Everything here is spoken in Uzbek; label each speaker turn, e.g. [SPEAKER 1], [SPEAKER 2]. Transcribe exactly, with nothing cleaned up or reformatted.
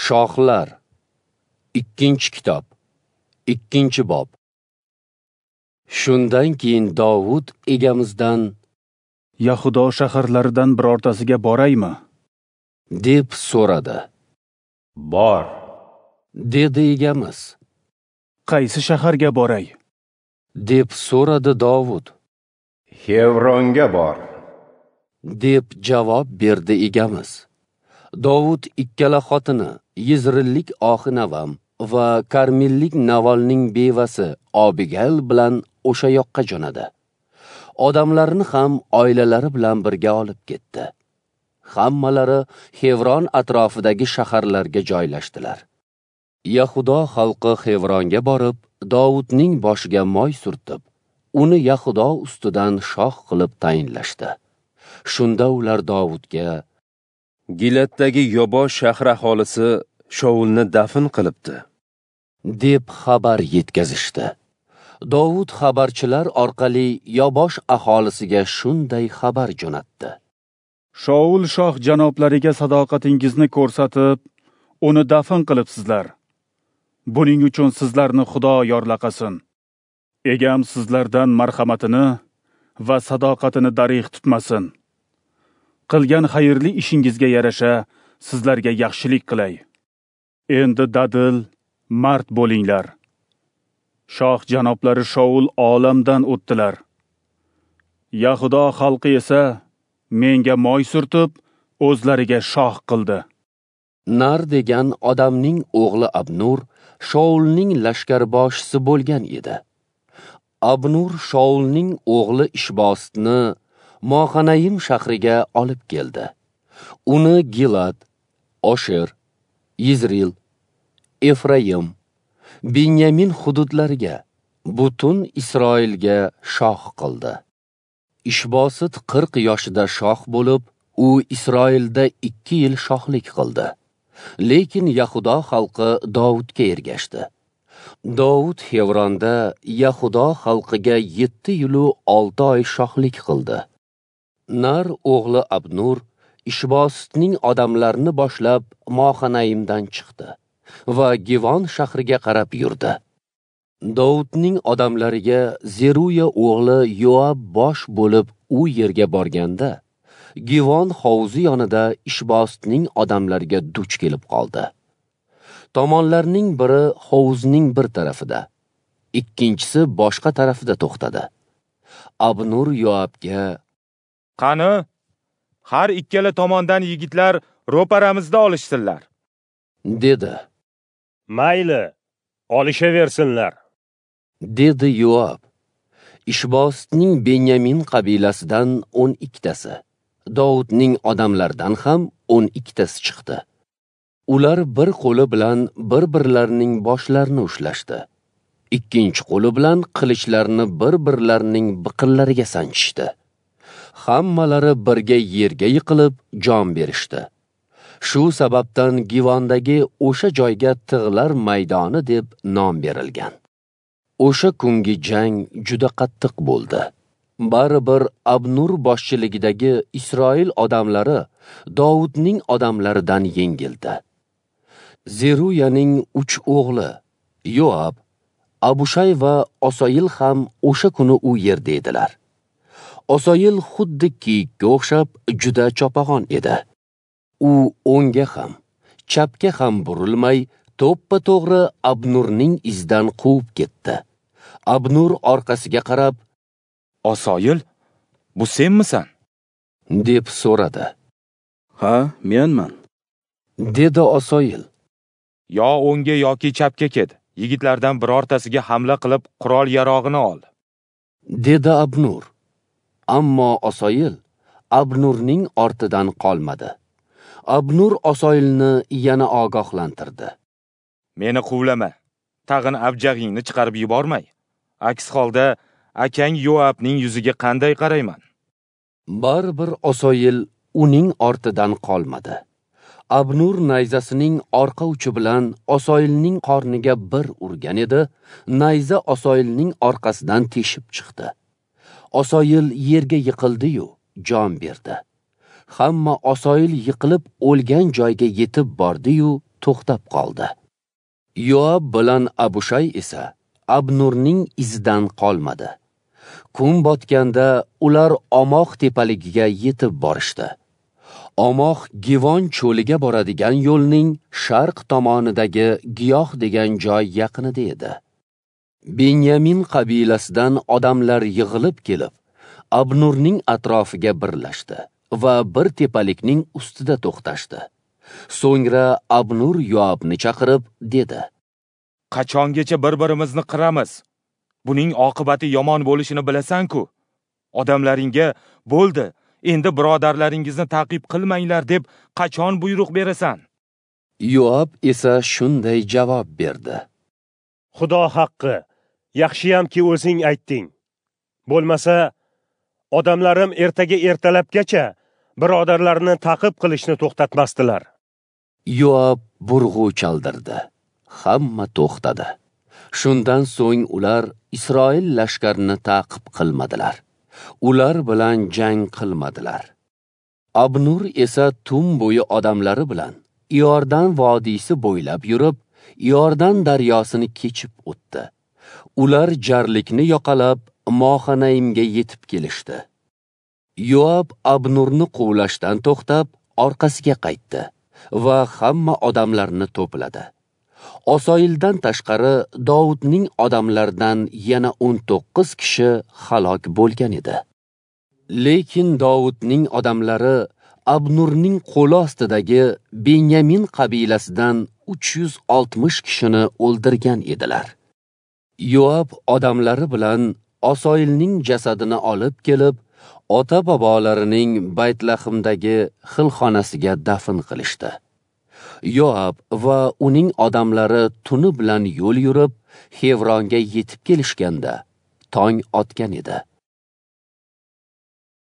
[SPEAKER 1] Shohlar. Ikkinchi kitob. Ikkinchi bob. Shundan keyin Dovud egamizdan
[SPEAKER 2] Yahudo shaharlaridan birortasiga boraymi?
[SPEAKER 1] Deb so'radi.
[SPEAKER 3] Bor,
[SPEAKER 1] dedi egamiz.
[SPEAKER 2] Qaysi shaharga boray?
[SPEAKER 1] Deb so'radi Dovud.
[SPEAKER 3] Xevronga bor,
[SPEAKER 1] deb javob berdi egamiz. Dovud ikkala xotini, Yizrillik Oxinavam va Karmillik Navolning bevasi Abigail bilan o'sha yoqqa jo'nadi. Odamlarni ham oilalari bilan birga olib ketdi. Hammalari Xevron atrofidagi shaharlarga joylashdilar. Yahudo xalqi Xevronga borib, Dovudning boshiga moy surtib, uni Yahudo ustidan shoh qilib tayinlashdi. Shunda ular Dovudga:
[SPEAKER 4] Gilatdagi Yobo shahri aholisi Shaulni dafn qilibdi,
[SPEAKER 1] deb xabar yetkazishdi. Dovud xabarchilar orqali Yobosh aholisiga shunday xabar jo'natdi:
[SPEAKER 2] Shaul shoh janoblariga sadoqatingizni ko'rsatib, uni dafn qilibsizlar. Buning uchun sizlarni Xudo yorlaqasin. Egam sizlardan marhamatini va sadoqatini darig' tutmasin. Qilgan xayrli ishingizga yarasha sizlarga yaxshilik qilay. Endi dadil, mard bo'linglar. Shoh janoblari Shaul olamdan o'tdilar. Yahudo xalqi esa menga moy surtib, o'zlariga shoh qildi.
[SPEAKER 1] Nar degan odamning o'g'li Abnur Shaulning lashkarboshisi bo'lgan edi. Abnur Shaulning o'g'li Ishbositni Mohanayim shahriga olib keldi. Uni Gilad, Osher, Yizril, Efraim, Binyamin hududlariga, butun Isroilga shoh qildi. Ishbosit qirq yoshida shoh bo'lib, u Isroilda ikki yil shohlik qildi. Lekin Yahudo xalqi Dovudga ergashdi. Dovud Xevronda Yahudo xalqiga yetti yilu olti oy shohlik qildi. Nar o'g'li Abnur Ishbositning odamlarini boshlab Mohanayimdan chiqdi va Givon shahriga qarab yurdi. Dovudning odamlariga Zeruya o'g'li Yoab bosh bo'lib u yerga borganda, Givon hovuzi yonida Ishbositning odamlariga duch kelib qoldi. Tomonlarning biri hovuzning bir tarafida, ikkinchisi boshqa tarafida to'xtadi. Abnur Yoabga:
[SPEAKER 5] Qani, har ikkala tomondan yigitlar ro'paramizda olishsinlar,
[SPEAKER 1] dedi.
[SPEAKER 6] Mayli, olishaversinlar,
[SPEAKER 1] dedi Yoab. Ishbositning Benyamin qabilasidan o'n ikkitasi, Dovudning odamlaridan ham o'n ikkitasi chiqdi. Ular bir qo'li bilan bir-birlarining boshlarini ushlashdi. Ikkinchi qo'li bilan qilichlarni bir-birlarining biqinlariga sanchishdi. Hammalari birga yerga yiqilib jon berishdi. Shu sababdan Givondagi o'sha joyga Tig'lar maydoni deb nom berilgan. O'sha kungi jang juda qattiq bo'ldi. Baribir Abnur boshchiligidagi Isroil odamlari Dovudning odamlaridan yengildi. Zeruyaning uch o'g'li Yoab, Abushay va Osoyil ham o'sha kuni u yerda edilar. Osoyil xuddi kiyikka o'xshab juda chopag'on edi. U o'ngga ham, chapga ham burilmay, to'ppa-to'g'ri Abnurning izidan quvib ketdi. Abnur orqasiga qarab:
[SPEAKER 5] Osoyil, bu senmisan?
[SPEAKER 1] deb so'radi.
[SPEAKER 2] Ha, menman,
[SPEAKER 1] dedi Osoyil.
[SPEAKER 5] Yo o'ngga yoki chapga ket, yigitlardan birortasiga hamla qilib qurol-yarog'ini ol,
[SPEAKER 1] dedi Abnur. Ammo Osoyil Abnurning ortidan qolmadi. Abnur Osoyilni yana ogohlantirdi.
[SPEAKER 5] Meni quvlama, tag'in abjag'ingni chiqarib yubormay. Aks holda akang Yoabning yuziga qanday qarayman?
[SPEAKER 1] Baribir Osoyil uning ortidan qolmadi. Abnur nayzasining orqa uchi bilan Osoyilning qorniga bir urgan edi, nayza Osoyilning orqasidan teshib chiqdi. Osoyil yerga yiqildi-yu, jon berdi. Hamma Osoyil yiqilib o'lgan joyga yetib bordi-yu, to'xtab qoldi. Yoab bilan Abushay esa Abnurning izidan qolmadi. Kun botganda ular Omoh tepaligiga yetib borishdi. Omoh Givon cho'liga boradigan yo'lning sharq tomonidagi Giyoh degan joy yaqinida edi. Benyamin qabilasidan odamlar yig'ilib kelib, Abnurning atrofiga birlashdi va bir tepalikning ustida to'xtashdi. So'ngra Abnur Yoabni chaqirib dedi:
[SPEAKER 5] Qachongacha bir-birimizni qiramiz? Buning oqibati yomon bo'lishini bilasan-ku. Odamlaringga bo'ldi, endi birodarlaringizni ta'qib qilmanglar deb qachon buyruq berasan?
[SPEAKER 1] Yoab esa shunday javob berdi:
[SPEAKER 6] Xudo haqqi, yaxshiyamki o'zing aytding. Bo'lmasa, odamlarim ertaga ertalabgacha birodarlarini ta'qib qilishni to'xtatmasdilar.
[SPEAKER 1] Yoab burg'u chaldirdi. Hamma to'xtadi. Shundan so'ng ular Isroil lashkarini ta'qib qilmadilar. Ular bilan jang qilmadilar. Abnur esa tun bo'yi odamlari bilan Iordan vodiysi bo'ylab yurib, Iordan daryosini kechib o'tdi. Ular jarlikni yoqalab Mohanaimga yetib kelishdi. Yoab Abnurni quvlashdan to'xtab, orqasiga qaytdi va hamma odamlarni to'pladi. Osoildan tashqari Dovudning odamlaridan yana o'n to'qqiz kishi halok bo'lgan edi. Lekin Dovudning odamlari Abnurning qo'li ostidagi Benyamin qabilasidan uch yuz oltmish kishini o'ldirgan edilar. Yoab odamlari bilan Osoilning jasadini olib kelib, ota-bobolarining Baytlahimdagi xilxonasiga dafn qilishdi. Yoab va uning odamlari tuni bilan yo'l yurib, Xevronga yetib kelishganda tong otgan edi.